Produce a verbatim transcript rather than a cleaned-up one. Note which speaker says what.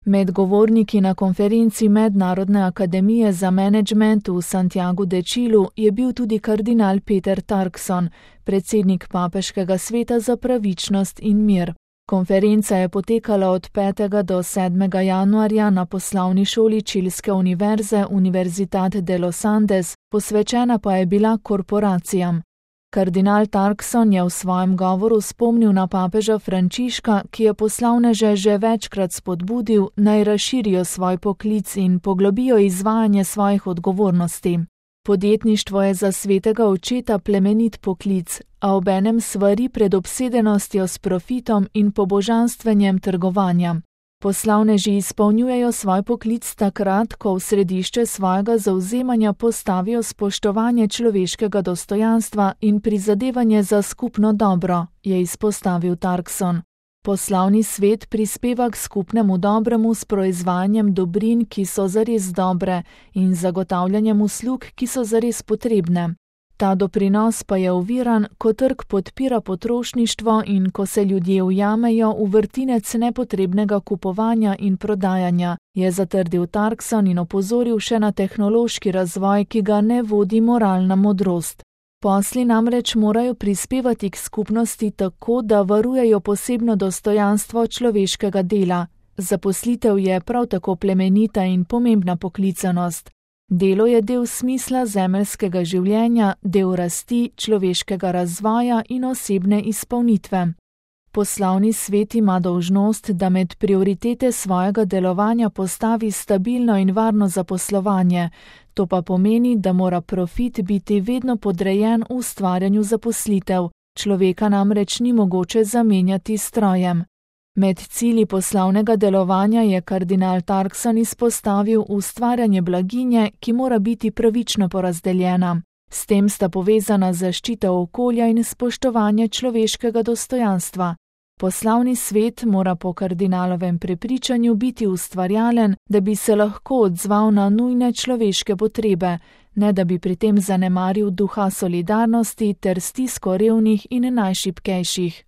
Speaker 1: Med govorniki na konferenci Mednarodne akademije za menedžment v Santiagu de Chilu je bil tudi kardinal Peter Turkson, predsednik Papeškega sveta za pravičnost in mir. Konferenca je potekala od petega do sedmega januarja na poslovni šoli čilske univerze Universidad de los Andes, posvečena pa je bila korporacijam. Kardinal Turkson je v svojem govoru spomnil na papeža Frančiška, ki je poslovneže že večkrat spodbudil, naj razširijo svoj poklic in poglobijo izvajanje svojih odgovornosti. Podjetništvo je za svetega očeta plemenit poklic, a obenem svari pred obsedenostjo s profitom in pobožanstvenjem trgovanja. Poslovneži izpolnjujejo svoj poklic takrat, ko v središče svojega zavzemanja postavijo spoštovanje človeškega dostojanstva in prizadevanje za skupno dobro, je izpostavil Turkson. Poslovni svet prispeva k skupnemu dobremu s proizvajanjem dobrin, ki so zares dobre, in zagotavljanjem uslug, ki so zares potrebne. Ta doprinos pa je oviran, ko trg podpira potrošništvo in ko se ljudje ujamejo v vrtinec nepotrebnega kupovanja in prodajanja, je zatrdil Turkson in opozoril še na tehnološki razvoj, ki ga ne vodi moralna modrost. Posli namreč morajo prispevati k skupnosti tako, da varujejo posebno dostojanstvo človeškega dela. Zaposlitev je prav tako plemenita in pomembna poklicanost. Delo je del smisla zemeljskega življenja, del rasti, človeškega razvoja in osebne izpolnitve. Poslovni svet ima dolžnost, da med prioritete svojega delovanja postavi stabilno in varno zaposlovanje. To pa pomeni, da mora profit biti vedno podrejen ustvarjanju zaposlitev. Človeka namreč ni mogoče zamenjati s strojem. Med cilji poslovnega delovanja je kardinal Turkson izpostavil ustvarjanje blaginje, ki mora biti pravično porazdeljena. S tem sta povezana zaščita okolja in spoštovanje človeškega dostojanstva. Poslovni svet mora po kardinalovem prepričanju biti ustvarjalen, da bi se lahko odzval na nujne človeške potrebe, ne da bi pri tem zanemaril duha solidarnosti ter stisko revnih in najšibkejših.